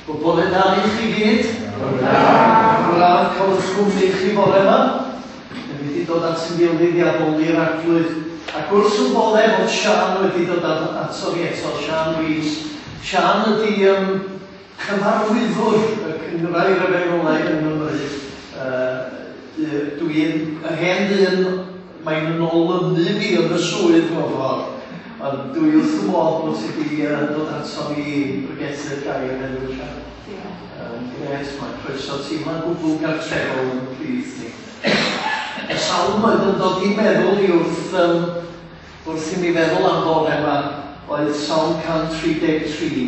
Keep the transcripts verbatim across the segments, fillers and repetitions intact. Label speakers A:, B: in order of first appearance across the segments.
A: Wel, bore da i chi gyd. Bore da. Braf cael eich cwmni chi bore yma. Ni wedi dod at yn gilydd i addoli'r Arglwydd. Ac wrth y bodde fod Sian wedi dod ato ni eto, Sian Rees. Sian ydy um, cyfarwyddwr y Cynghrair Efengylaidd yng Nghymru. Uh, Dwi'n y hen ddyn, mae'n yn olynu fi yn y swydd mewn ffordd. Ond dwi wrth y modd bod ti wedi uh, dod ato ni i bregethu'r gair heddiw, Sian. Um, Grêt, mae croeso teimlo'n gwbl gartrefol yn plith ni. Y salm oedd yn dod i'n meddwl i wrth, um, wrth i mi feddwl am bore yma oedd Salm cant tri deg tri.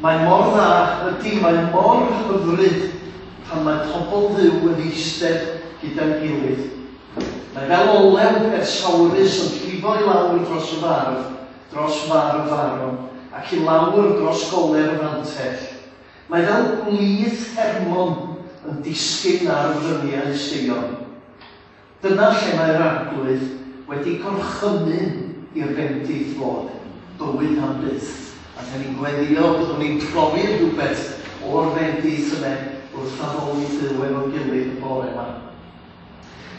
A: Mae mor dda, ydy, mae mor hyfryd pan mae pobl Dduw yn eistedd gyda'n gilydd. Mae fel olew persawrus yn llifo i lawr dros y farf, dros farf Aaron, ac i lawr dros goler y fantell. Mae fel gwlith Hermon yn disgyn ar fryniau Seion. Dyna lle mae'r Arglwydd wedi gorchymyn i'r bendith fod, bywyd am byth. A dyn ni'n gweddio, byddwn ni'n profi rhywbeth o'r bendith yma wrth addoli Duw efo'n gilydd y bore yma.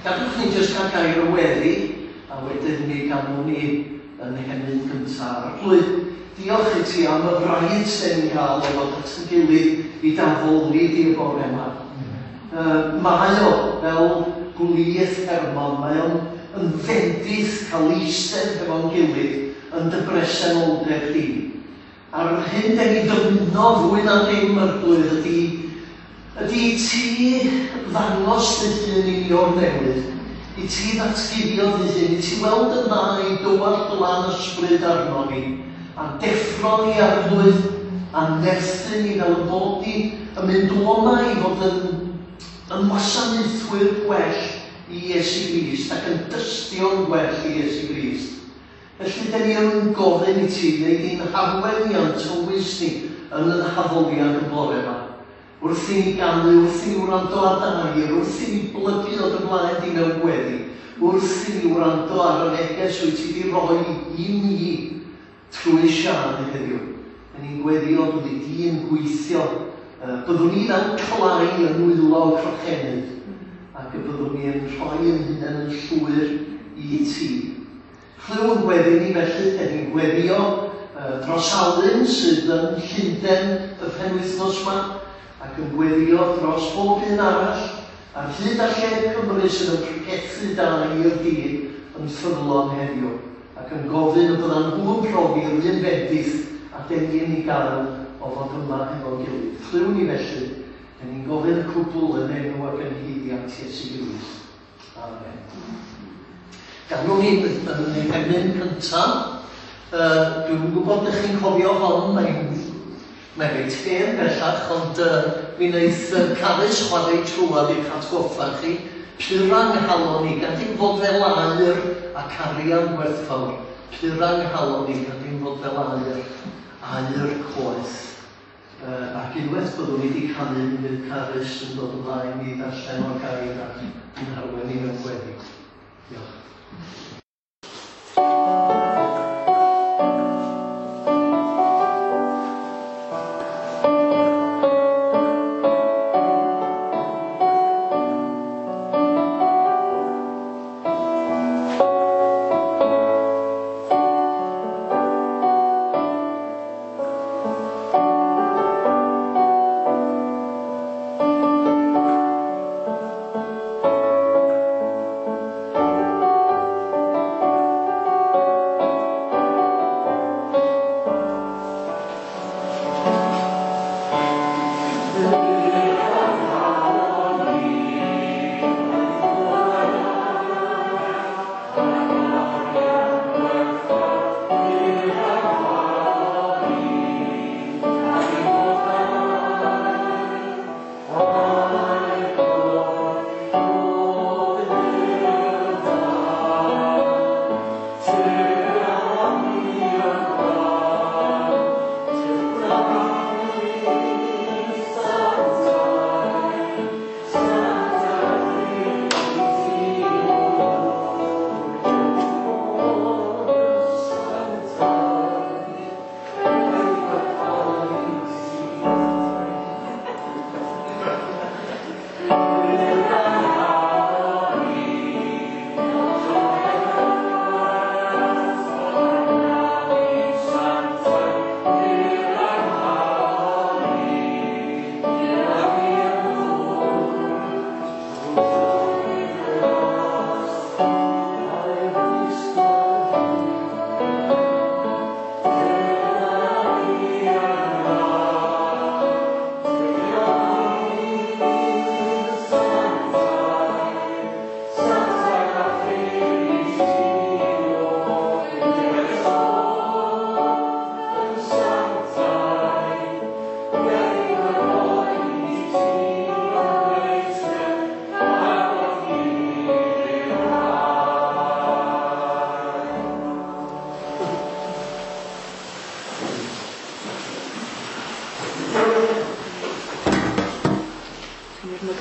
A: Gadwch ni jyst cael gair o weddi, a wedyn mi ganwn ni yn hemyn gyntaf. Arglwydd, diolch i ti am y fraint sy'n ni'n cael o fod at yn gilydd i d'addoli di y bore yma. Uh, mae o fel gwlith Hermon, mae o'n yn fendith cael eistedd efo'n gilydd yn dy bresenoldeb di. A'r hyn den ni dymuno fwy na dim, Arglwydd, ydy ydy i ti ddangos dy hun i ni o'r newydd, i ti ddatguddio dy hun, i ti weld yn dda i dywallt lan ysbryd arno ni, a deffro ni, Arglwydd, a nerthu ni fel y bod ni yn mynd o'ma i fod yn, yn wasanaethwyr gwell i Iesu Grist ac yn dystio'n gwell i Iesu Grist. Felly, den ni yn gofyn i ti, neu ni'n harwen ni a'n tywys ni yn yn haddoliad y bore yma. Wrth i ni ganu, wrth i ni wrando ar dy air, wrth i ni blygu o dy blaen di mewn gweddi, wrth i ni wrando ar y neges wyt ti wedi roi i ni trwy Sian heddiw. Den ni'n gweddio byddi di yn gweithio, byddwn ni fel clai yn nwylo crochenydd, ac y byddwn ni yn rhoi yn hunain yn llwyr i ti. Clyw yn gweddi ni felly, den ni'n gweddio uh, dros Alun sydd yn Llundain y penwythnos yma, ac yn gweddio dros bob un arall, ar hyd a lled Cymru sydd yn pregethu da i'r dydd yn ffyddlon heddiw, ac yn gofyn y byddan nhw'n profi'r un bendith a den ni yn ei gael o fod yma hefo'n gilydd. Clyw ni felly, den ni'n gofyn y cwbl yn enw ac yn haeddiant Iesu Grist. Amen. Ganwn ni yn ein hemyn cyntaf. Uh, Dwi'm yn gwybod ydych chi'n cofio hon, mae'n Mae'n reit hen bellach, ond uh, mi wnaeth uh, Carys chwarae trwad i'ch atgoffa chi. Pura nghalon i, gad i'm fod fel aur ac arian gwerthfawr. Pura nghalon i, gad i'm fod fel aur, aur coeth. Uh, ac unwaith byddwn ni wedi canu, mi fydd Carys yn dod ymlaen i ddarllen o'r gair ac yn harwen i mewn gweddi. Diolch.
B: Thank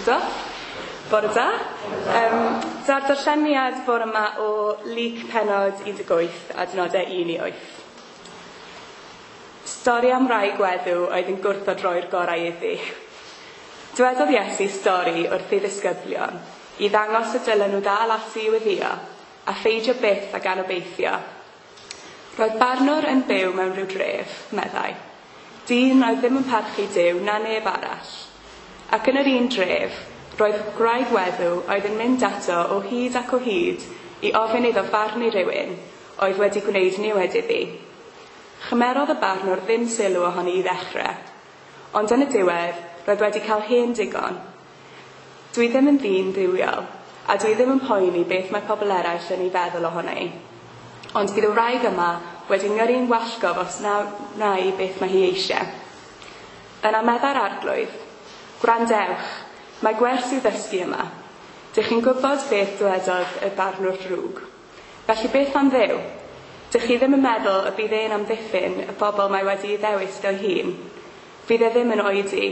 B: Do? Bore da. Um, Da'r darlleniad bore yma o Luc pennod un deg wyth adnodau un i wyth. Stori am wraig weddw oedd yn gwrthod roi'r gorau iddi. Dywedodd Iesu stori wrth ei ddisgyblion i ddangos y dylen nhw ddal ati i weddïo a pheidio byth ag anobeithio. Roedd barnwr yn byw mewn rhyw dref, meddai. Dyn oedd ddim yn parchu Duw na neb arall. Ac yn yr un dref, roedd gwraig weddw oedd yn mynd ato o hyd ac o hyd i ofyn iddo farnu rhywun oedd wedi gwneud niwed iddi. Chymerodd y barnwr ddim sylw ohoni i ddechrau, ond yn y diwedd roedd wedi cael hen digon. Dwi ddim yn ddyn dduwiol, a dwi ddim yn poeni beth mae pobl eraill yn ei feddwl ohoni. Ond bydd y wraig yma wedi ngyrru'n wallgof os na wna i beth mae hi eisiau. Yna meddai'r arglwydd, gwrandewch, mae gwers i'w ddysgu yma. Dych chi'n gwybod beth dywedodd y barnwr drwg. Felly beth am Dduw? Dych chi ddim yn meddwl y bydd e'n amddiffyn y bobl mae wedi'i ddewis o'i hun. Fydd e ddim yn oedi.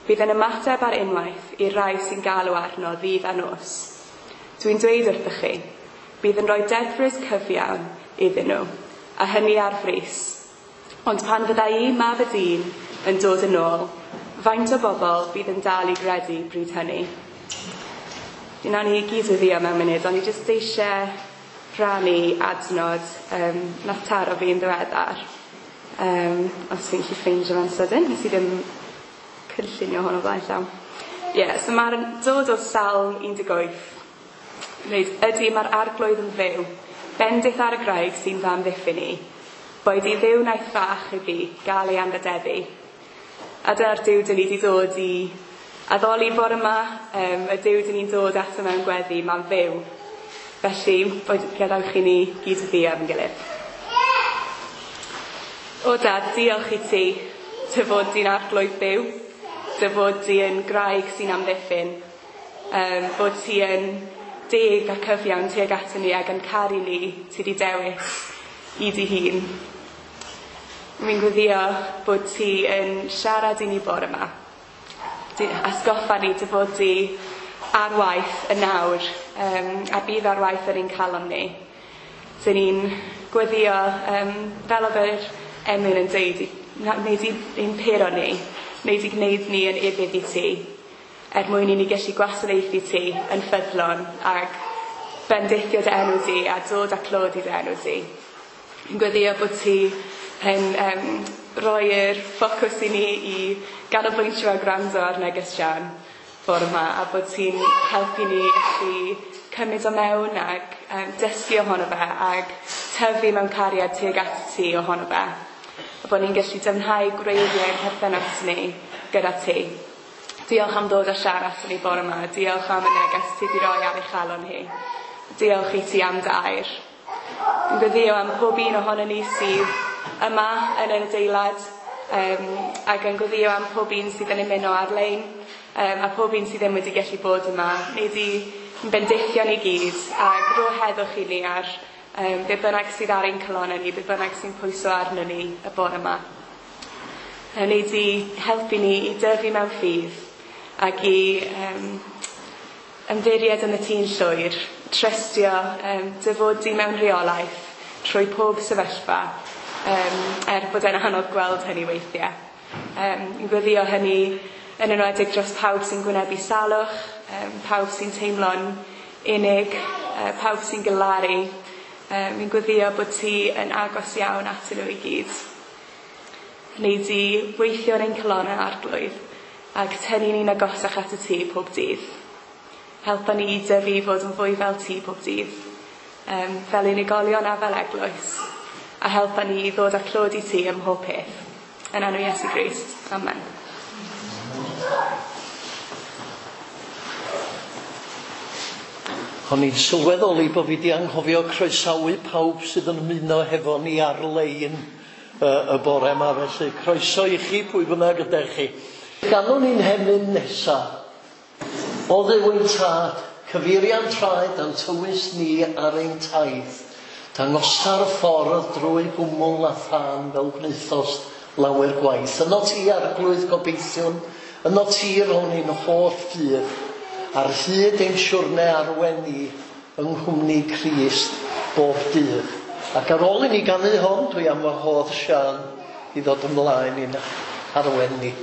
B: Bydd e'n ymateb ar unwaith i'r rai sy'n galw arno ddydd a nos. Dwi'n dweud wrthych chi, bydd yn rhoi dedfryd cyfiawn iddyn nhw, a hynny ar frys. Ond pan fydda i, mab y dyn, yn dod yn ôl, faint o bobl bydd yn dal i gredu bryd hynny? Dyna ni gyd weddïo mewn munud, ond i jyst eisiau rhannu adnod um, nath taro fi'n ddiweddar. Um, os fi'n gallu ffeindio fe'n sydyn, nes i ddim cynllunio hwn o flaen llaw. Ie, yeah, so mae'r dod o Salm un deg wyth. Dweud, ydy mae'r arglwydd yn fyw, bendith ar y graig sy'n fy amddiffyn i. Boed i Dduw wnaeth fach i fi gael ei anrhydeddu. A dyna'r Duw dyn ni wedi dod i addoli bore yma, um, y Duw dyn ni'n dod ato mewn gweddi, mae'n fyw. Felly, gadewch i ni gyd weddïo efo'n gilydd. O Dad, diolch i ti, dy fod di'n arglwydd byw, dy fod di yn graig sy'n amddiffyn, um, bod ti yn deg a cyfiawn tuag ato ni ac yn caru ni, ti di dewis i dy hun. Mi'n gweddio bod ti yn siarad i ni bore yma. Atgoffa ni dy fod di ar waith yn nawr, um, a bydd ar waith yn ein calon ni. Dyn ni'n gweddio, um, fel oedd yr emyn yn dweud, wneud i'n pero ni, wneud i gwneud ni yn ufudd i ti, er mwyn i ni gallu gwasanaethu ti yn ffyddlon ac bendithio dy enw di a dod â clod i dy enw di. Yn gweddio bod ti yn um, roi'r ffocws i ni i ganolbwyntio a gwrando ar neges Sian bore yma, a bod ti'n helpu ni allu cymryd o mewn ac um, dysgu ohono fe ac tyfu mewn cariad tuag at ti ohono fe. A bod ni'n gallu dyfnhau gwreiddiau ein perthynas ni gyda ti. Diolch am ddod a siarad ato ni bore yma. Diolch am y neges ti wedi roi ar ei chalon hi. Diolch i ti am dy air. Yn gweddio am pob un ohono ni sydd yma yn yr adeilad, um, ac yn gweddio am pob un sydd yn ymuno ar-lein, um, a pob un sydd ddim wedi gallu bod yma. Nei di bendithio ni gyd ac rho heddwch i ni ar um, be bynnag sydd ar ein calonnau ni, be bynnag sy'n pwyso arno ni y bore yma. Nei di helpu ni i dyfu mewn ffydd ac i um, ymddiried yn y ti'n llwyr, trystio um, dy fod di mewn rheolaeth trwy pob sefyllfa, um, er bod e'n anodd gweld hynny weithiau. Um, yn gweddio hynny yn enwedig dros pawb sy'n gwynebu salwch, um, pawb sy'n teimlo'n unig, uh, pawb sy'n galaru. Um, fi'n gweddio bod ti yn agos iawn atyn nhw i gyd. Nei di weithio yn ein calonnau arglwydd ac tynnu ni'n agosach at y ti pob dydd. Helpa ni i dyfu fod yn fwy fel ti pob dydd, um, fel unigolion a fel eglwys, a helpa ni i ddod â clod i ti ym mhob peth. Yn enw Iesu Grist. Amen.
A: O'n i'n sylweddoli bod fi wedi anghofio croesawu pawb sydd yn ymuno hefo ni ar-lein y, y bore yma, felly croeso i chi pwy bynnag ydych chi. Ganwn ni'n hemyn nesa. O Dduw ein tad, cyfeirian traed a'n tywys ni ar ein taith, dangosa'r ffordd drwy gwmwl a thân fel gwnaethost lawer gwaith. Yno ti arglwydd gobeithiwn, yno ti rown ni'n holl ffydd. Ar hyd ein siwrne arwen ni yng nghwmni Crist bob dydd. Ac ar ôl i ni ganu hon, dwi am wahodd Siân i ddod ymlaen i'n arwen ni.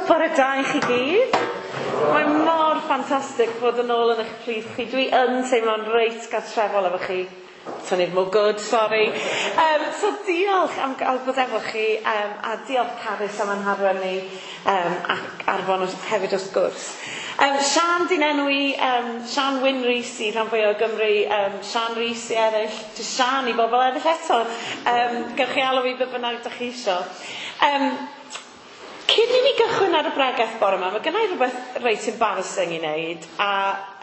C: Bore da i chi gyd. Mae mor ffantastig fod yn ôl yn eich plith chi. Dwi yn teimlo'n reit gartrefol efo chi. Tynnu'r mwgwd, sori. Um, so diolch am gael bod efo chi, um, a diolch Carys am anharwen ni, um, ac Arfon hefyd wrth gwrs. Um, Siân di'n enw i, um, Siân Wyn Rhys i rhan fwyaf o Gymru, um, Siân Rhys i eraill, jyst Siân i bobl eraill eto. Um, gewch chi alw fi be bynnag dych chi isio. Um, Cyn i ni gychwyn ar y bregeth bore yma, mae gennai rhywbeth reit embarrassing i wneud, a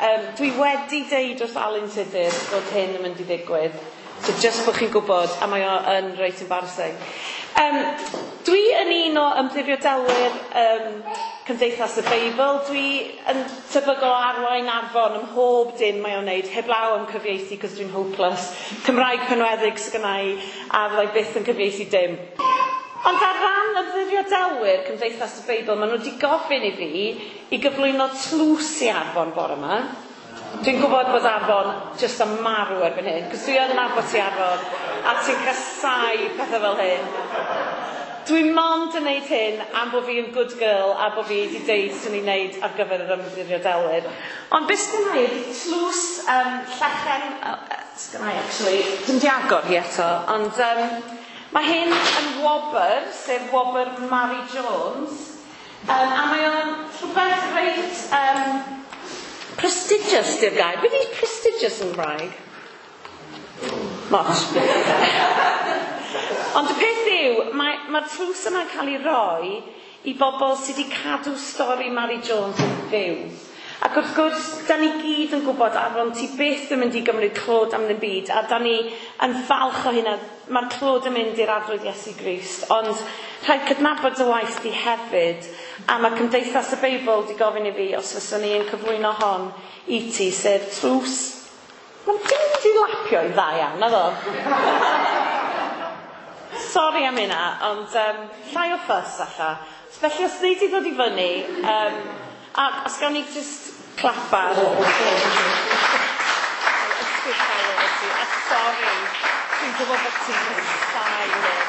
C: um, dwi wedi deud wrth Alun Tudur bod hyn yn mynd i ddigwydd, so just bod chi'n gwybod, a mae o yn reit embarrassing. Um, dwi yn un o ymddiriedolwyr um, Cymdeithas y Beibl. Dwi yn tebygol o arwain Arfon ym mhob dim mae o'n wneud, heblaw am cyfieithu, cos dwi'n hopeless. Cymraeg penweddig sy gynna i, a fyddai byth yn cyfieithu dim. Ond ar ran ymddiriedolwyr Cymdeithas y Beibl, maen nhw wedi gofyn i fi i gyflwyno tlws i Arfon bore yma. Dwi'n gwybod bod Arfon jyst am marw erbyn hyn, cos dwi yn nabod ti Arfon, a ti'n casau pethau fel hyn. Dwi mond yn neud hyn am bod fi yn good girl a bod fi wedi deud swn i'n neud ar gyfer yr ymddiriedolwyr. Ond beth sgynna i ydy tlws um, llechen, uh, sgynna i actually, dwi'm di agor hi eto, ond um, mae hyn yn wobr, sef wobr Mary Jones, um, a mae o'n rhywbeth reit um, prestigious di'r gair. Beth ydy prestigious yn Gymraeg? Moch. Ond y peth yw, mae'r mae tlws yma'n cael ei roi i bobl sydd wedi cadw stori Mary Jones yn fyw. Ac wrth gwrs, da ni gyd yn gwybod, Aaron, ti byth yn mynd i gymryd clod am ddim byd, a da ni yn falch o hynna, mae'r clod yn mynd i'r Arglwydd Iesu Grist, ond rhaid cydnabod y waith di hefyd, a mae Cymdeithas y Beibl di gofyn i fi os fyswn ni yn cyflwyno hon i ti, sef tlws. Mae'n dim wedi lapio i dda iawn, na ddo? Sori am hynna, ond um, llai o ffys alla. Felly os wnei di ddod i fyny, um, a os gawn ni just clap ar. Ysgwyd calon i ti, a sori, dwi'n gwybod bod ti'n casáu hyn.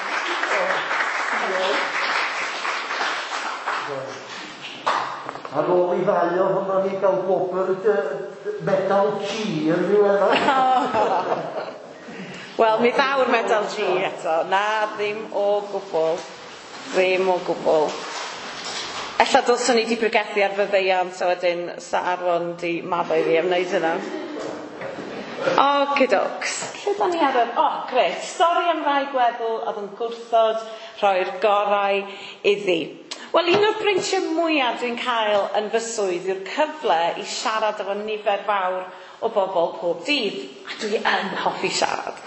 A: Ar ôl i ddau ohono ni gael gwobr medal G yn ddiweddar.
C: Wel, mi ddaw'r medal G eto. Na, ddim o gwbl. Ddim o gwbl. Ella dylswn ni wedi pregethu ar fyddeiant, so wedyn sa Aaron di maddau fi am wneud hynna. Okidoks. Lle da ni ar yr... O, oh, grêt. Stori am rai gweddw oedd yn gwrthod rhoi'r gorau iddi. Wel, un o'r breintiau mwyaf dwi'n cael yn fy swydd yw'r cyfle i siarad efo nifer fawr o bobl pob dydd. A dwi yn hoffi siarad.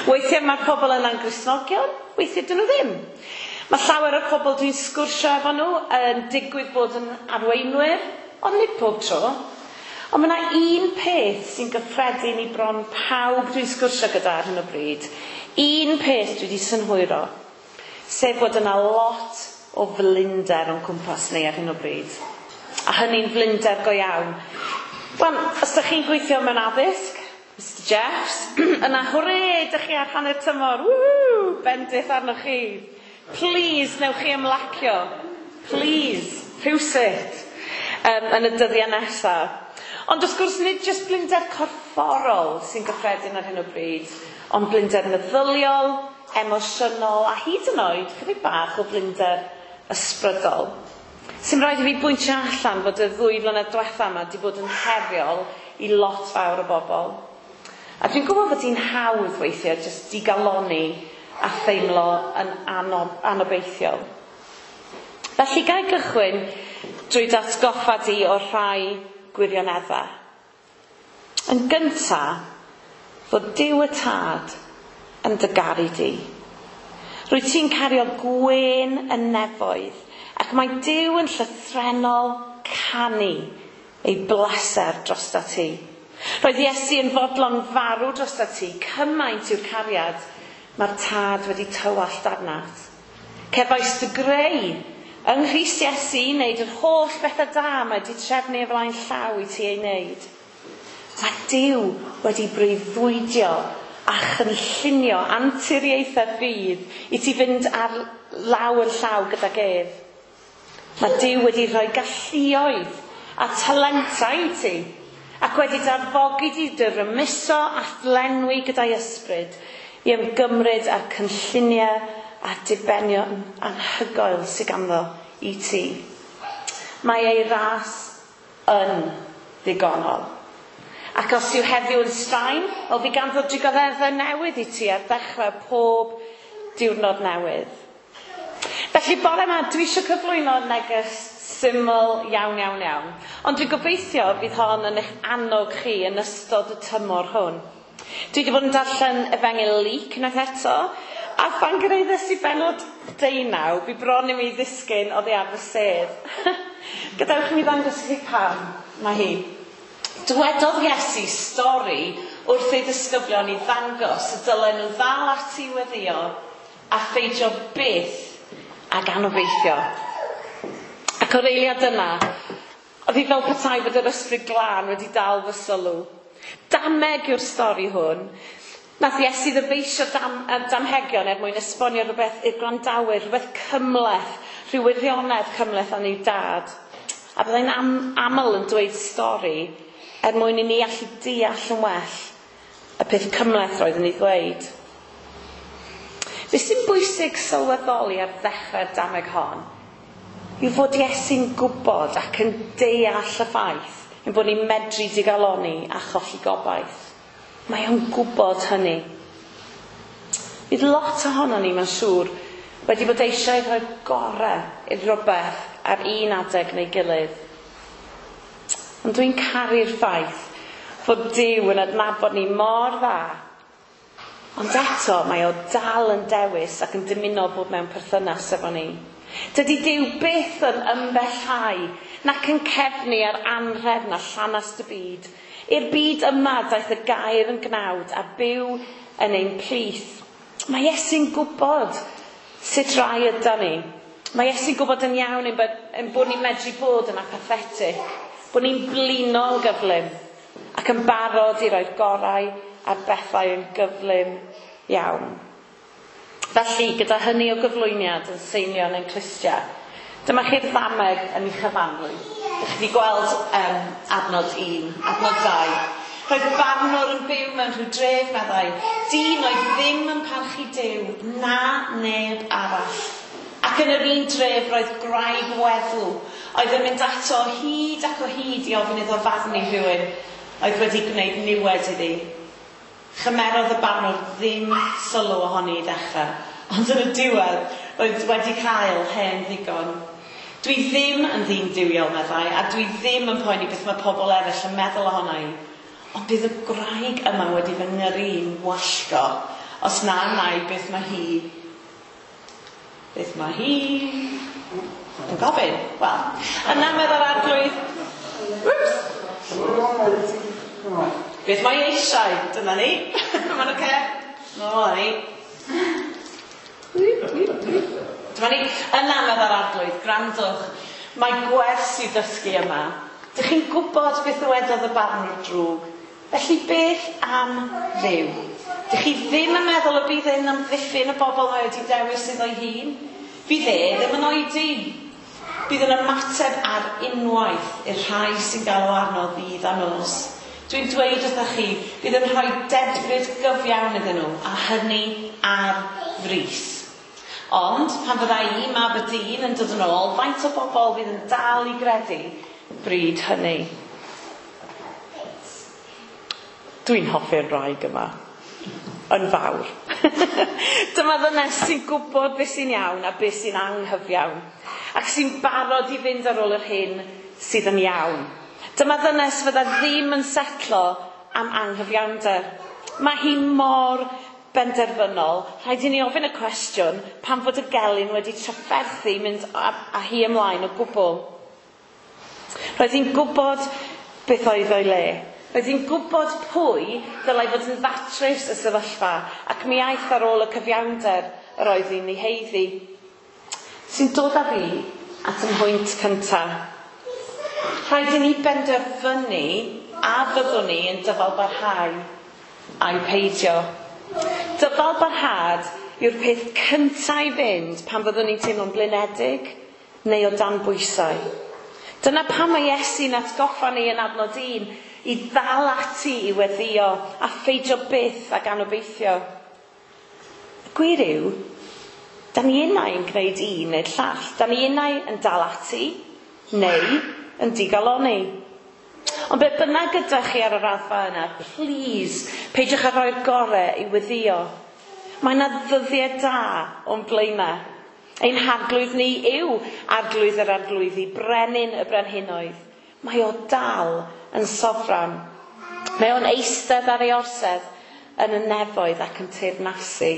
C: Weithiau mae'r pobl yna'n Gristnogion, weithiau dyn nhw ddim. Mae llawer o'r pobl dwi'n sgwrsio efo nhw yn digwydd bod yn arweinwyr, ond nid pob tro. Ond mae yna un peth sy'n gyffredin i bron pawb dwi'n sgwrsio gyda ar hyn o bryd. Un peth dwi wedi synhwyro, sef bod yna lot o flinder o'n cwmpas ni ar hyn o bryd. A hynny'n flinder go iawn. Wel, os ydych chi'n gweithio mewn addysg, Mister Jeffs, yna hwre, ydych chi ar hanner tymor, woohoo, bendith arnoch chi. Please, newch chi ymlacio. Please, rhywsut, um, yn y dyddiau nesaf. Ond wrth gwrs, nid jyst blinder corfforol sy'n gyffredin ar hyn o bryd, ond blinder meddyliol, emosiynol, a hyd yn oed chydig bach o blinder ysbrydol. Sy'n rhaid i fi bwyntio allan fod y ddwy flynedd diwetha yma wedi bod yn heriol i lot fawr o bobl. A dwi'n gwybod bod hi'n hawdd weithiau jyst digalonni a theimlo yn anob, anobeithiol. Felly gai gychwyn drwy datgoffa di o'r rhai gwirioneddau. Yn gynta, fod Duw y Tad yn dy garu di. Rwyt ti'n cario gwên y nefoedd, ac mae Duw yn llythrennol canu ei bleser drosta ti. Roedd Iesu yn fodlon farw drosta ti, cymaint yw'r cariad mae'r Tad wedi tywallt arnat. Cefais dy greu yng Nghrist Iesu i wneud yr holl bethau da mae wedi trefnu o flaen llaw i ti ei wneud. Mae Duw wedi breuddwydio a chynllunio anturiaethau'r byd i ti fynd ar law yn llaw gydag ef. Mae Duw wedi rhoi galluoedd a talentau i ti, ac wedi darfogi di dy rymuso a thlenwi gyda'i ysbryd i ymgymryd â'r cynlluniau a dibenion anhygoel sydd ganddo i ti. Mae ei ras yn ddigonol. Ac os yw heddiw yn straen, wel fi ganddo drugareddau newydd i ti ar ddechrau pob diwrnod newydd. Felly bore yma, dwi eisiau cyflwyno neges syml iawn, iawn, iawn. Ond dwi'n gobeithio bydd hon yn eich annog chi yn ystod y tymor hwn. Dwi wedi bod yn darllen Efengyl Luc unwaith eto, a phan gyrhaeddes i bennod deunaw, bu bron i mi ddisgyn oddi ar fy sedd. Gadewch i mi ddangos i chi pam mae hi. Dywedodd Iesu stori wrth ei ddisgyblion i ddangos y dylen nhw ddal ati i weddïo a pheidio byth ag anobeithio. Ac o'r eiliad yna, oedd hi fel petai fod yr ysbryd glân wedi dal fy sylw. Dameg yw'r stori hwn. Nath Iesu ddyfeisio dam, damhegion er mwyn esbonio rhywbeth i'r gwrandawyr, rhywbeth cymhleth, rhyw wirionedd cymhleth am ei dad. A byddai'n am, aml yn dweud stori er mwyn i ni allu deall yn well y peth cymhleth roedd yn ei ddweud. Be sy'n bwysig sylweddoli ar ddechrau'r dameg hon yw fod Iesu'n gwybod ac yn deall y ffaith ein bod ni'n medru digalonni a cholli gobaith. Mae o'n gwybod hynny. Bydd lot ohono ni, mae'n siŵr, wedi bod eisiau rhoi gorau i rhywbeth ar un adeg neu gilydd. Ond dwi'n caru'r ffaith fod Duw yn adnabod ni mor dda. Ond eto mae o dal yn dewis ac yn dymuno bod mewn perthynas efo ni. Dydy Duw byth yn ymbellhau nac yn cefnu ar anrhefn a llanast y byd. I'r byd yma daeth y gair yn gnawd a byw yn ein plith. Mae Iesu'n gwybod sut rai yda ni. Mae Iesu'n gwybod yn iawn ein bod, ein bod ni'n medru bod yn apathetic, bod ni'n blino yn gyflym ac yn barod i roi'r gorau ar bethau yn gyflym iawn. Felly, gyda hynny o gyflwyniad yn seinio yn ein clustiau, dyma chi'r ddameg yn ei chyfanrwydd. Ydych chi wedi gweld um, adnod un, adnod dau. Roedd barnwr yn byw mewn rhyw dref, meddai. Dyn oedd ddim yn parchu Duw, na neb arall. Ac yn yr un dref roedd gwraig weddw, oedd yn mynd ato o hyd ac o hyd i ofyn iddo farnu rhywun oedd wedi gwneud niwed iddi. Chymerodd y barnwr ddim sylw ohoni i ddechrau, ond yn y diwedd roedd wedi cael hen ddigon. Dwi ddim yn ddyn duwiol, meddai, a dwi ddim yn poeni beth mae pobl eraill yn meddwl ohona i. Ond bydd y gwraig yma wedi fy ngyrru i'n wallgo, os na wna i beth mae hi... Beth mae hi... yn gofyn? Wel, yna meddai'r arglwydd... Whoops! Beth mae eisiau? Dyna ni. Mae'n oce? No, ni. Dyma ni. Yna meddai'r arglwydd, gwrandwch. Mae gwers i ddysgu yma. Dych chi'n gwybod beth ddywedodd y barnwr drwg. Felly beth am Dduw? Dych chi ddim yn meddwl y bydd e'n amddiffyn y bobl mae wedi dewis iddo'i hun? Fydd e ddim yn oedi. Bydd yn ymateb ar unwaith i'r rhai sy'n galw arno ddydd a nos. Dwi'n dweud wrthych chi, bydd yn rhoi dedfryd gyfiawn iddyn nhw, a hynny ar frys. Ond, pan fydda i, mab y dyn, yn dod yn ôl, faint o bobl fydd yn dal i gredu bryd hynny? Dwi'n hoffi'r wraig yma. Yn fawr. Dyma ddynes sy'n gwybod beth sy'n iawn a beth sy'n anghyfiawn, ac sy'n barod i fynd ar ôl yr hyn sydd yn iawn. Dyma ddynes fydda ddim yn setlo am anghyfiawnder. Mae hi mor benderfynol. Rhaid i ni ofyn y cwestiwn pam fod y gelyn wedi trafferthu mynd â, â hi ymlaen o gwbl. Roedd hi'n gwybod beth oedd o'i le. Roedd hi'n gwybod pwy ddylai fod yn ddatrys y sefyllfa, ac mi aeth ar ôl y cyfiawnder yr oedd hi'n ei haeddu. Sy'n dod â fi at y mhwynt cyntaf. Rhaid i ni benderfynu a fyddwn ni yn dyfalbarhau a'i peidio. Dyfalbarhad yw'r peth cyntaf i fynd pan fyddwn ni'n teimlo'n blinedig neu o dan bwysau. Dyna pam mae Iesu'n atgoffa ni yn adnod un i ddal ati i weddïo a pheidio byth ag anobeithio. Y gwir yw, da ni unai yn gwneud un neu'r llall. Da ni unai yn dal ati neu yn digalonni. Ond be bynnag gyda chi ar y raddfa yna, please, peidiwch â rhoi'r gorau i weddïo. Mae yna ddyddiau da o'n blaenau. Ein harglwydd ni yw arglwydd yr arglwyddi, brenin y brenhinoedd. Mae o dal yn sofran. Mae o'n eistedd ar ei orsedd yn y nefoedd ac yn teyrnasu.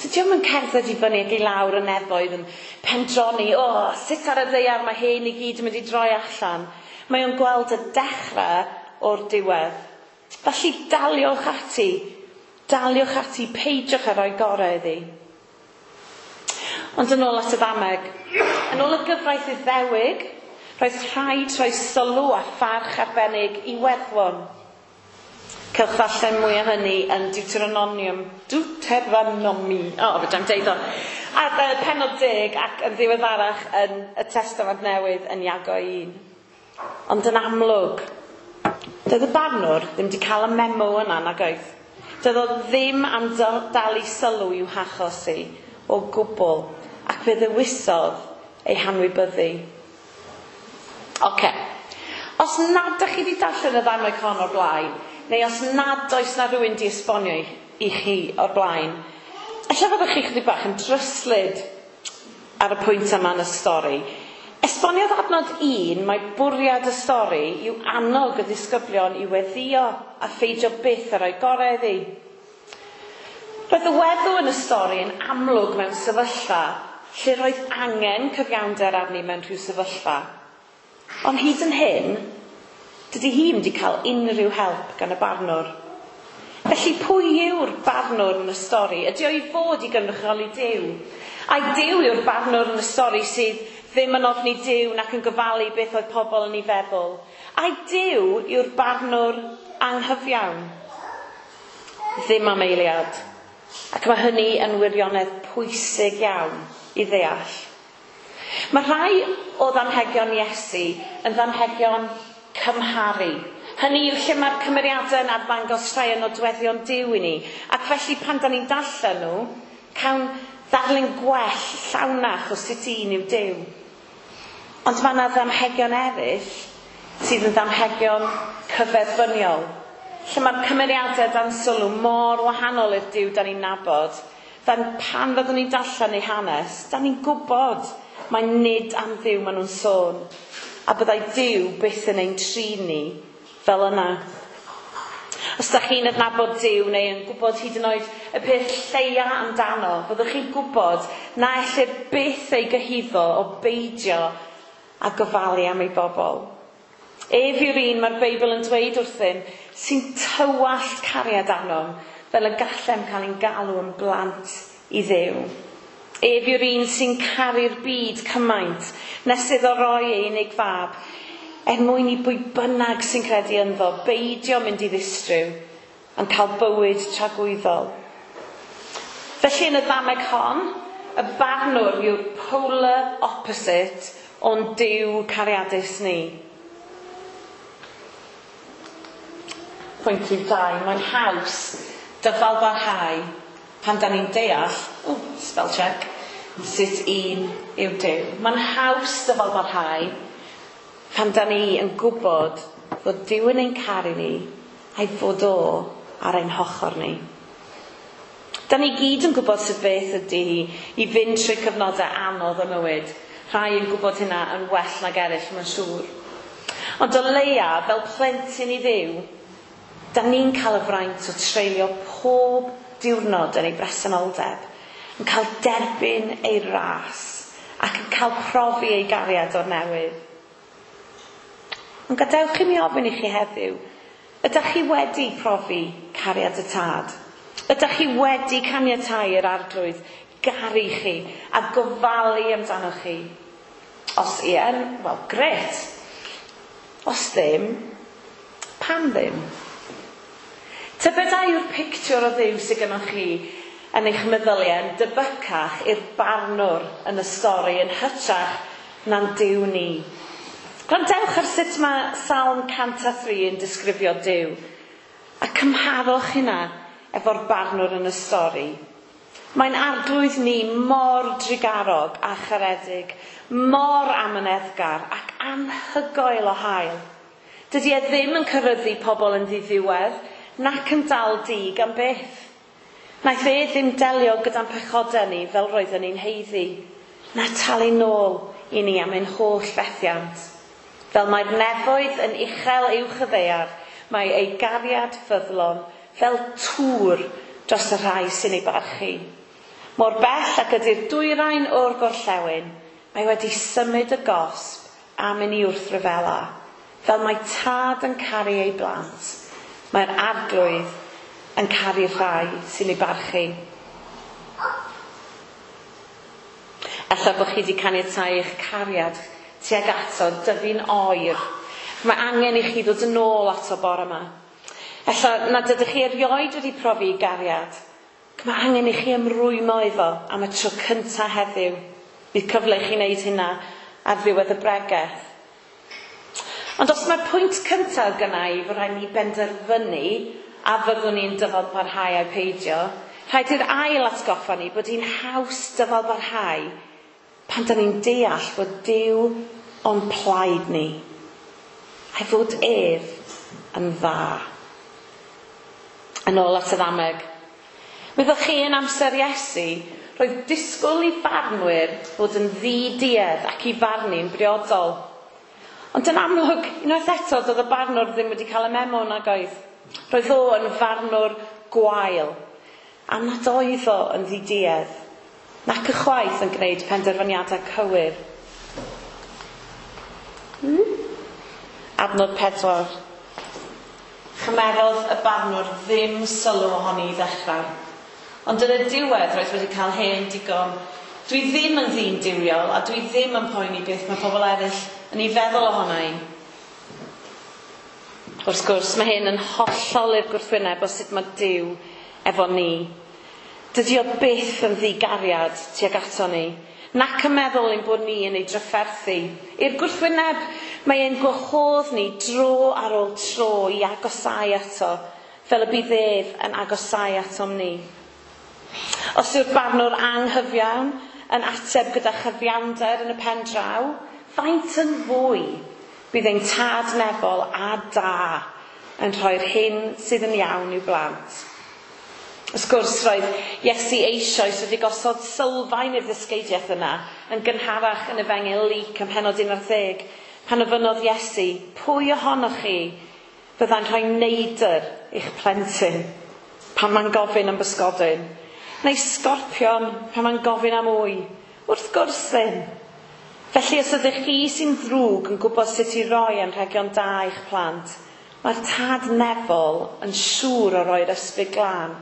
C: Dydy o'm yn cerdded i fyny ac i lawr y nefoedd yn pendroni, o, oh, sut ar y ddaear mae hyn i gyd yn mynd i droi allan. Mae o'n gweld y dechrau o'r diwedd. Felly daliwch ati, daliwch ati, peidiwch â rhoi gorau iddi. Ond yn ôl at y ddameg, yn ôl y gyfraith Iddewig, roedd rhaid rhoi sylw a pharch arbennig i weddwon. Cewch ddarllen mwy o hynny yn Deuteronomium, Deuteronomi, o, oh, fedrai'm deud o. A uh, pennod deg ac yn ddiweddarach yn y Testament Newydd yn Iago un. Ond yn amlwg, doedd y barnwr ddim wedi cael y memo yna nag oedd. Doedd o ddim am dalu sylw i'w hachos hi o gwbl, ac fe ddewisodd ei hanwybyddu. Oce. Os nad ydych chi wedi darllen y ddameg hon o'r blaen, neu os nad oes na rhywun di esbonio i chi o'r blaen, ella fyddwch chi chydig bach yn dryslyd ar y pwynt yma yn y stori. Esboniodd adnod un, mae bwriad y stori yw annog y disgyblion i weddïo a pheidio byth a rhoi gorau iddi. Roedd y weddw yn y stori yn amlwg mewn sefyllfa lle roedd angen cyfiawnder arni mewn rhyw sefyllfa. Ond hyd yn hyn, dydy hi ddim wedi cael unrhyw help gan y barnwr. Felly pwy yw'r barnwr yn y stori? Ydy o i fod i gynrychioli Duw? Ai Duw yw'r barnwr yn y stori sydd ddim yn ofni Duw nac yn gofalu beth oedd pobl yn ei feddwl? Ai Duw yw'r barnwr anghyfiawn? Ddim am eiliad. Ac mae hynny yn wirionedd pwysig iawn i ddeall. Mae rhai o ddamhegion Iesu yn ddamhegion cymharu. Hynny yw lle mae'r cymeriadau yn arddangos rhai o nodweddion Duw i ni. Ac felly pan da ni'n darllen nhw, cawn ddarlun gwell, llawnach o sut un yw Duw. Ond mae yna ddamhegion eraill sydd yn ddamhegion cyferbyniol, lle mae'r cymeriadau dan sylw mor wahanol i'r Duw da ni'n nabod, dan pan fyddwn ni'n darllen ei hanes, da ni'n gwybod mae nid am Dduw maen nhw'n sôn, a byddai Duw byth yn ein trin ni fel yna. Os da chi'n adnabod Duw neu yn gwybod hyd yn oed y peth lleia amdano, fyddwch chi'n gwybod na ellir byth ei gyhuddo o beidio a gofalu am ei bobl. Ef yw'r un mae'r Beibl yn dweud wrthym sy'n tywallt cariad arnom fel y gallem cael ein galw yn blant i Dduw. Ef yw'r un sy'n caru'r byd cymaint nes iddo roi ei unig fab, er mwyn i bwy bynnag sy'n credu ynddo beidio mynd i ddistryw yn cael bywyd tragwyddol. Felly yn y ddameg hon, y barnwr yw'r polar opposite o'n Duw cariadus ni. Pwynt rhif dau, mae'n haws dyfal barhau pan da ni'n deall, oh, spell check, sut un yw Duw. Mae'n haws dyfal barhau pan da ni yn gwybod fod Duw yn ein caru ni a'i fod o ar ein hochr ni. Da ni gyd yn gwybod sut beth ydy hi i fynd trwy cyfnodau anodd o mywyd. Rhai yn gwybod hynna yn well nag eraill, mae'n siŵr. Ond o leia, fel plentyn i Dduw, da ni'n cael y fraint o treulio pob diwrnod yn ei bresenoldeb, yn cael derbyn ei ras ac yn cael profi ei gariad o'r newydd. Ond gadewch i mi ofyn i chi heddiw, ydych chi wedi profi cariad y Tad? Ydych chi wedi caniatáu i'r Arglwydd garu chi a gofalu amdano chi? Os ie, wel, grêt. Os ddim, pam ddim? Tybed a yw'r pictiwr o Dduw sydd gennych chi yn eich meddyliau yn debycach i'r barnwr yn y stori yn hytrach na'n Duw ni? Gwrandewch ar sut mae Salm cant a thri yn disgrifio Duw, a cymharwch hynna efo'r barnwr yn y stori. Mae'n Arglwydd ni mor drugarog a charedig, mor amyneddgar ac anhygoel o hael. Dydy e ddim yn cyryddu pobl yn ddiddiwedd, nac yn dal dig am byth. Naeth e ddim delio gyda'n pechodau ni fel roedden ni'n haeddu, na talu nôl i ni am ein holl fethiant. Fel mae'r nefoedd yn uchel uwch y ddaear, mae ei gariad ffyddlon fel tŵr dros y rhai sy'n ei barchu. Mor bell ac ydy'r dwyrain o'r gorllewin, mae wedi symud y gosb am i ni wrthryfela. Fel mae tad yn caru ei blant, mae'r Arglwydd yn caru'r rhai sy'n ei barchu. Ella bod chi wedi caniatáu eich cariad tuag ato dyfu'n oer. Mae angen i chi ddod yn ôl ato bore yma. Ella nad ydych chi erioed wedi profi gariad. Mae angen i chi ymrwymo iddo am y tro cyntaf heddiw. Bydd cyfle i chi wneud hynna ar ddiwedd y bregeth. Ond os mae'r pwynt cyntaf gynna i fod rhaid ni benderfynu a fyddwn ni'n dyfal barhau ai peidio, rhaid i'r ail atgoffa ni bod hi'n haws dyfal barhau pan da ni'n deall fod Duw o'n plaid ni, a'i fod ef yn dda. Yn ôl at y ddameg. Wyddoch chi yn amser Iesu, roedd disgwyl i farnwyr fod yn ddi-duedd ac i farnu'n briodol. Ond yn amlwg, unwaith eto, doedd y barnwr ddim wedi cael y memo nag oedd. Roedd o yn farnwr gwael, am nad oedd o yn ddi-duedd, nac ychwaith yn gwneud penderfyniadau cywir. Hmm? Adnod pedwar. Chymerodd y barnwr ddim sylw ohoni i ddechrau. Ond yn y diwedd roedd wedi cael hen digon. Dwi ddim yn ddyn duwiol a dwi ddim yn poeni beth mae pobl eraill yn ei feddwl ohona i. Wrth gwrs, mae hyn yn hollol i'r gwrthwyneb o sut mae Duw efo ni. Dydy o byth yn ddigariad tuag ato ni, nac yn meddwl ein bod ni yn ei drafferthu. I'r gwrthwyneb, mae e'n gwahodd ni dro ar ôl tro i agosau ato, fel y bydd ef yn agosau atom ni. Os yw'r barnwr anghyfiawn yn ateb gyda chyfiawnder yn y pen draw, faint yn fwy bydd ein tad nefol a da yn rhoi'r hyn sydd yn iawn i'w blant. Wrth gwrs, roedd Iesu eisoes wedi gosod sylfaen i'r ddysgeidiaeth yna yn gynharach yn Efengyl Luc ym mhennod un ar ddeg, pan ofynnodd Iesu, pwy ohonoch chi fyddai'n rhoi neidr i'ch plentyn pan mae'n gofyn am bysgodyn, neu sgorpion pan mae'n gofyn am wy? Wrth gwrs ddim. Felly os ydych chi sy'n ddrwg yn gwybod sut i roi anrhegion da i'ch plant, mae'r tad nefol yn siŵr o roi'r ysbryd glân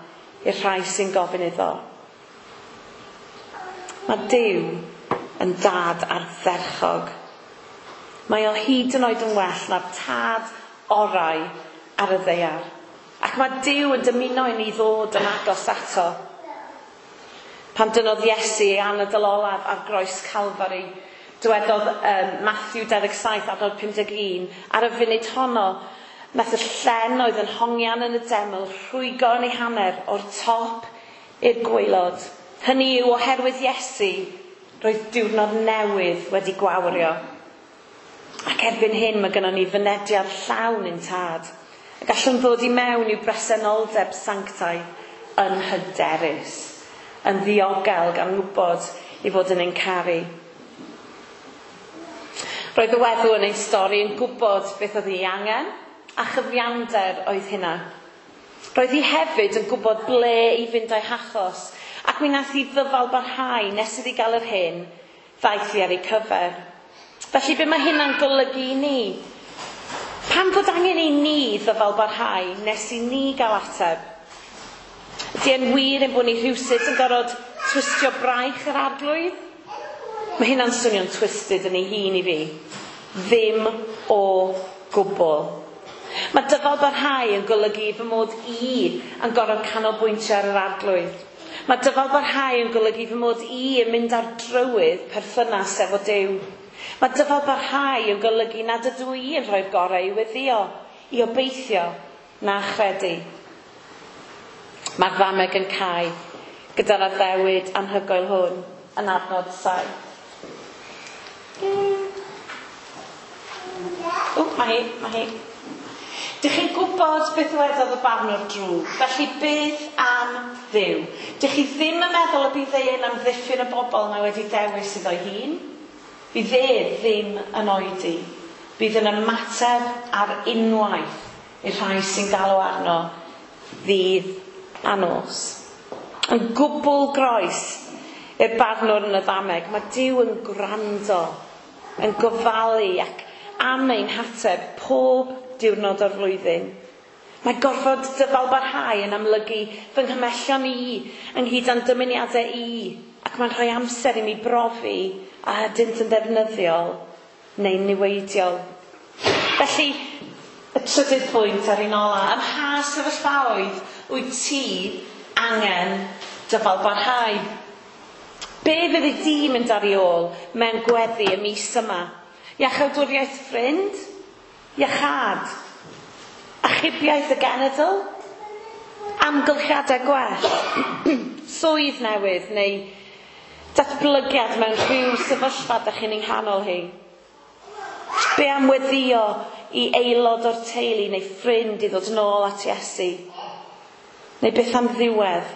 C: i'r rhai sy'n gofyn iddo. Mae Duw yn dad ardderchog. Mae o hyd yn oed yn well na'r tad orau ar y ddaear. Ac mae Duw yn dymuno i ni ddod yn agos ato. Pan dynodd Iesu ei anadl olaf ar groes Calfari, dywedodd um, Matthew dau ddeg saith adnod pum deg un, ar y funud honno, nath y llen oedd yn hongian yn y deml rhwygo yn ei hanner o'r top i'r gwaelod. Hynny yw, oherwydd Iesu, roedd diwrnod newydd wedi gwawrio. Ac erbyn hyn mae gynnon ni fynediad llawn i'n tad. A gallwn ddod i mewn i'w bresenoldeb sanctaidd yn hyderus, yn ddiogel gan wybod i fod yn ein caru. Roedd y weddw yn ein stori yn gwybod beth oedd ei angen, a chyfiawnder oedd hynna. Roedd hi hefyd yn gwybod ble i fynd â'i hachos, ac mi nath hi ddyfal barhau nes iddi gael yr hyn ddaeth hi ar ei cyfer. Felly be mae hynna'n golygu i ni? Pam fod angen i ni ddyfal barhau nes i ni gael ateb? Ydy e'n wir ein bod ni rhywsut yn gorfod twistio braich yr arglwydd? Mae hynna'n swnio'n twisted yn ei hun i fi. Ddim o gwbl. Mae dyfal barhau yn golygu fy mod i yn gorfod canolbwyntio ar yr arglwydd. Mae dyfal barhau yn golygu fy mod i yn mynd ar drywydd perthynas efo Duw. Mae dyfal barhau yn golygu nad ydw i yn rhoi'r gorau i weddïo, i obeithio, na chredu. Mae'r ddameg yn cau gyda'r addewid anhygoel hwn yn adnod saith. O, mae hi, mae hi. Dych chi'n gwybod beth wedodd y barnwr drwg, felly beth am Dduw? Dych chi ddim yn meddwl y bydd e'n amddiffyn y bobl mae wedi dewis iddo'i hun? Fydd e ddim yn oedi. Bydd yn ymateb ar unwaith i'r rhai sy'n galw arno ddydd a nos. Yn gwbl groes i'r barnwr yn y ddameg, mae Duw yn gwrando, yn gofalu ac am ein hateb pob diwrnod o'r flwyddyn. Mae gorfod dyfal barhau yn amlygu fy nghymellion i, ynghyd â'n dymuniadau i, ac mae'n rhoi amser i mi brofi a ydynt yn ddefnyddiol neu'n niweidiol. Felly, Y trydydd pwynt ar un ola, ym mha sefyllfaoedd wyt ti angen dyfalbarhau? Be fyddi di mynd ar ei ôl mewn gweddi y mis yma? Iachawdwriaeth ffrind? Iachâd? Achubiaeth y genedl? Amgylchiadau gwell? Swydd newydd neu datblygiad mewn rhyw sefyllfa dych chi'n ei nghanol hi? Be am weddïo i aelod o'r teulu neu ffrind i ddod yn ôl at Iesu? Neu beth am ddiwedd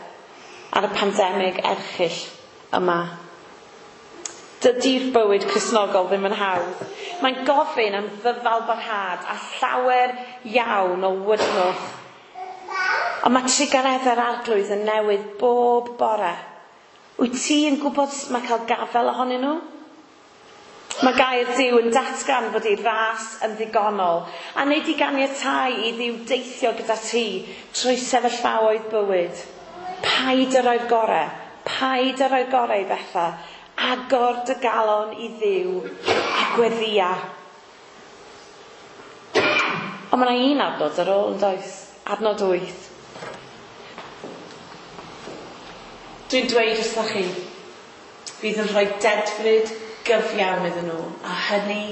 C: ar y pandemig erchyll yma? Dydy'r bywyd Cristnogol ddim yn hawdd. Mae'n gofyn am ddyfalbarhad a llawer iawn o wydnwch. Ond mae trugareddau'r Arglwydd yn newydd bob bore. Wyt ti yn gwybod sut mae cael gafael ohonyn nhw? Mae gair Duw yn datgan fod ei ras yn ddigonol a wneud i ganiatáu i Dduw deithio gyda ti trwy sefyllfaoedd bywyd. Paid â roi'r gorau, paid â roi'r gorau i bethau. Agor dy galon i Dduw a gweddïa. Ond mae yna un adnod ar ôl, yn does? Adnod wyth. Dwi'n dweud wrthoch chi, fydd yn rhoi dedfryd gyfiawn iddyn nhw, a hynny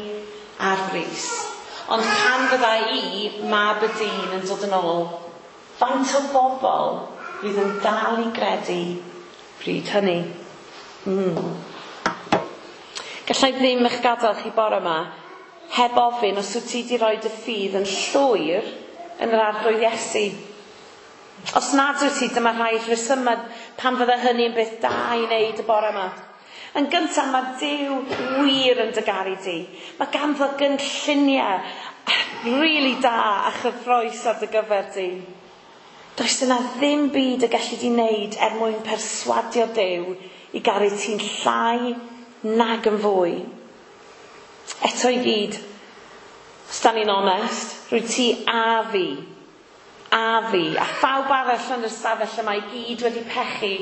C: ar frys. Ond pan fydda i, mab y dyn, yn dod yn ôl, faint o bobl fydd yn dal i gredu bryd hynny? Mm. Gallai ddim eich gadael chi bore yma heb ofyn os wyt ti wedi rhoi dy ffydd yn llwyr yn yr Arglwydd Iesu. Os nad wyt ti, dyma rhai rhesymau pan fydda hynny yn beth da i wneud y bore yma. Yn gyntaf, mae Duw wir yn dy garu di. Mae ganddo gynlluniau really da a chyffrous ar dy gyfer di. Does yna ddim byd y gallu di wneud er mwyn perswadio Duw i garu ti'n llai nag yn fwy. Eto i gyd, os da ni'n onest, rwy ti a fi, a fi, a phawb arall yn yr ystafell yma i gyd wedi pechu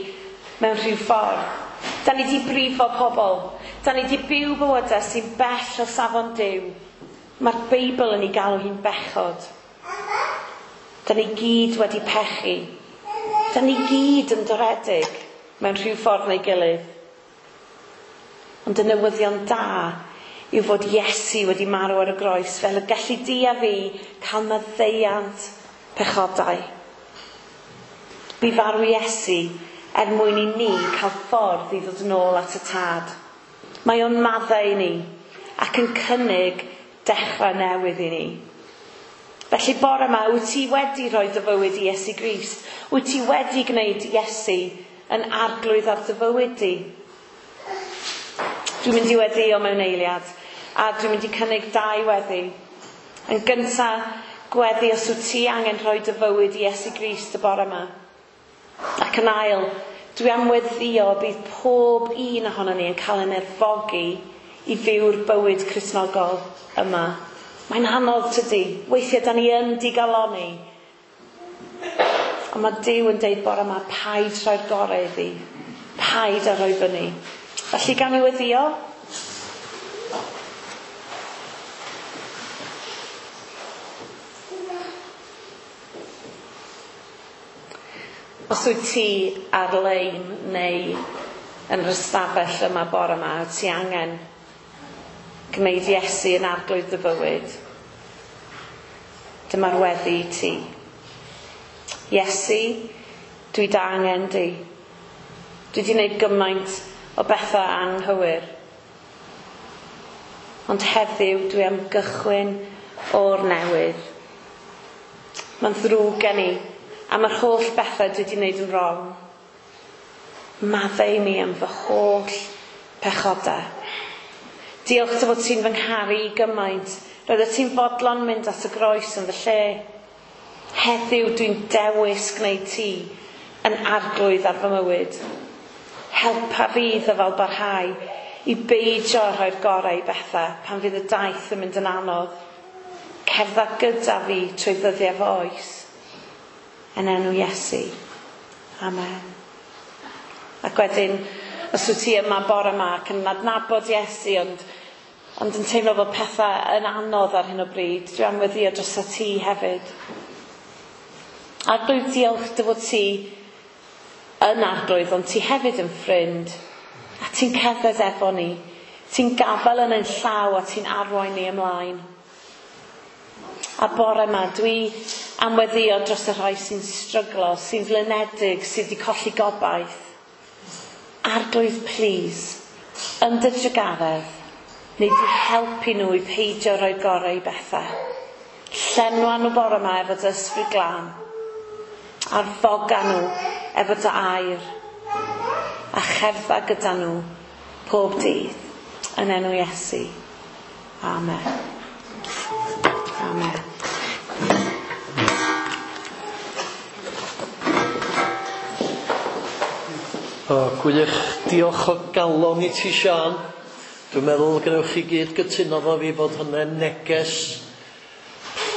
C: mewn rhyw ffordd. Da ni wedi brifo pobl. Da ni wedi byw bywydau sy'n bell o safon Duw. Mae'r Beibl yn ei galw hi'n bechod. Da ni gyd wedi pechu. Da ni gyd yn doredig mewn rhyw ffordd neu gilydd. Ond y newyddion da yw fod Iesu wedi marw ar y groes fel y gallu di a fi cael maddeuant pechodau. Bu farw Iesu er mwyn i ni cael ffordd i ddod yn ôl at y Tad. Mae o'n maddau i ni ac yn cynnig dechrau newydd i ni. Felly bore yma, wyt ti wedi rhoi dy fywyd i Iesu Grist? Wyt ti wedi gwneud Iesu yn arglwydd ar dy fywyd di? Dwi'n mynd i weddïo mewn eiliad, a dwi'n mynd i cynnig dau weddi. Yn gyntaf, gweddi os wyt ti angen rhoi dy fywyd i Iesu Grist y bore yma. Ac yn ail, dwi am weddïo bydd pob un ohonon ni yn cael ein erfogi i fyw'r bywyd Cristnogol yma. Mae'n anodd tydi. Weithiau da ni yn digalonni. Ond mae Duw yn deud bore yma, paid rhoi'r gorau iddi. Paid â rhoi fyny. Felly gawn ni weddïo? Os wyt ti ar-lein neu yn yr ystafell yma bore yma, wyt ti angen gwneud Iesu yn arglwydd dy fywyd, dyma'r weddi i ti. Iesu, dwi dy angen di. Dwi wedi gwneud gymaint o bethau anghywir. Ond heddiw dwi am gychwyn o'r newydd. Mae'n ddrwg gen i am yr holl bethau dwi wedi gwneud yn wrong. Maddau i mi am fy holl pechodau. Diolch dy fod ti'n fy ngharu i gymaint. Roeddet ti'n fodlon mynd at y groes yn fy lle. Heddiw dwi'n dewis gwneud ti yn arglwydd ar fy mywyd. Helpa fi ddyfal barhau i beidio â rhoi'r gorau i bethau pan fydd y daith yn mynd yn anodd. Cerdda gyda fi trwy ddyddiau fy oes. Yn enw Iesu. Amen. Ac wedyn, os wyt ti yma bore yma ac yn adnabod Iesu, ond, ond yn teimlo fod pethau yn anodd ar hyn o bryd, dwi am weddïo drosta ti hefyd. Arglwydd, diolch dy fod ti yn arglwydd, ond ti hefyd yn ffrind, a ti'n cerdded efo ni. Ti'n gafael yn ein llaw a ti'n arwain ni ymlaen. A bore yma, dwi am weddïo dros y rhai sy'n stryglo, sy'n flinedig, sydd wedi colli gobaith. Arglwydd, please, yn dy drugaredd, neu di helpu nhw i peidio rhoi gorau i bethau. Llenwa nhw bore yma efo dy ysbryd glân. Arfoga nhw efo dy air. A cherdda gyda nhw pob dydd. Yn enw Iesu. Amen. Amen.
A: O, gwych, diolch o galon i ti, Siân. Dwi'n meddwl gwnewch chi gyd gytuno efo fi bod hynny'n neges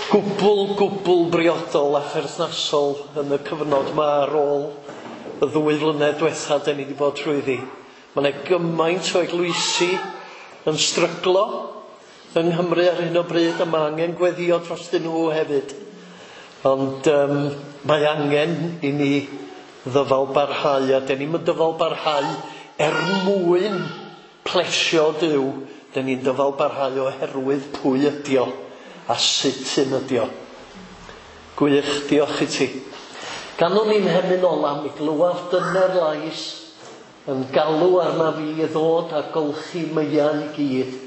A: gwbl, gwbl briodol a pherthnasol yn y cyfnod yma ar ôl y ddwy flynedd diwetha 'dan ni wedi bod trwyddi. Mae yna gymaint o eglwysi yn stryglo yng Nghymru ar hyn o bryd, a mae angen gweddio drostyn nhw hefyd. Ond um, mae angen i ni ddyfal barhau, a 'dan ni'm yn dyfal barhau er mwyn plesio Duw, 'dan ni'n dyfal barhau oherwydd pwy ydi o a sut un ydi o. Gwych, diolch i ti. Ganwn ni'n hemyn ola, mi glywaf dyner lais yn galw arna fi i ddod a golchi meiau i gyd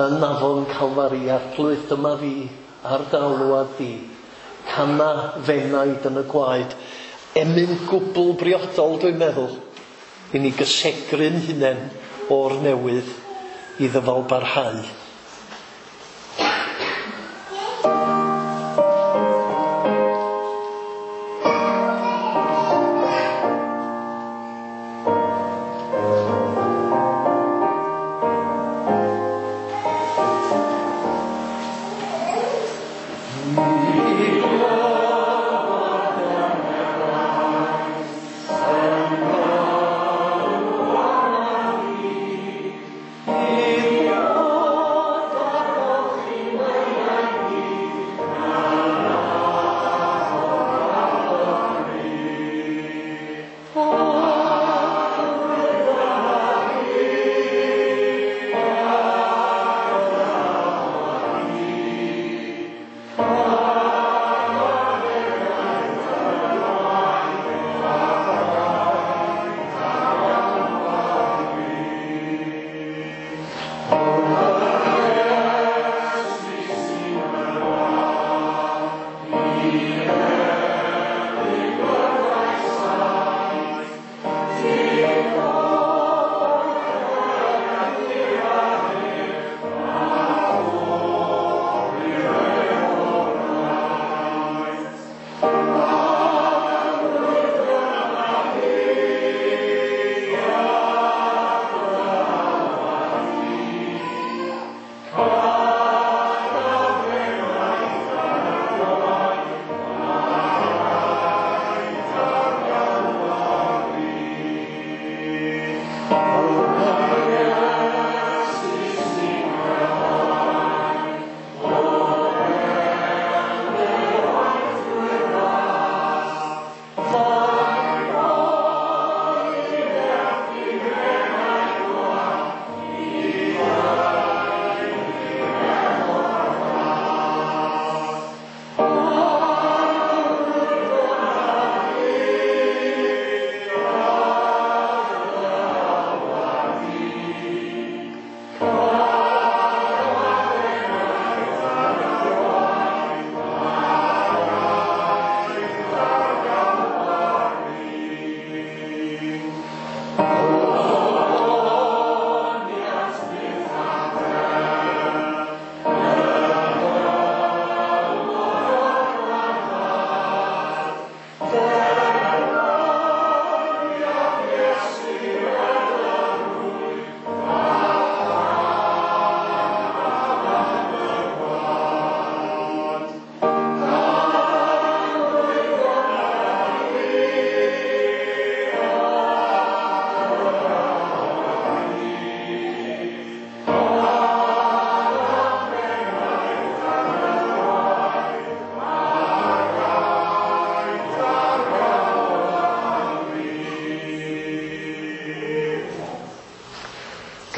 A: yn afon Calfari. Arglwydd, dyma fi ar dy alwad di. Cana f'enaid yn y gwaed. Emyn gwbl briodol, dwi'n meddwl, i ni gysegru'n hunain o'r newydd i ddyfal barhau.
D: Oh.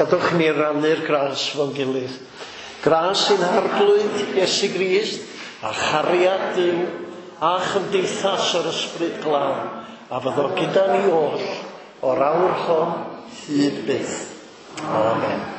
A: Gadwch ni rannu'r gras fo'n gilydd. Gras i'n Harglwydd Iesu Grist a chariad Duw a chymdeithas yr Ysbryd Glân a fyddo gyda ni oll o'r awr hon hyd byth. Amen.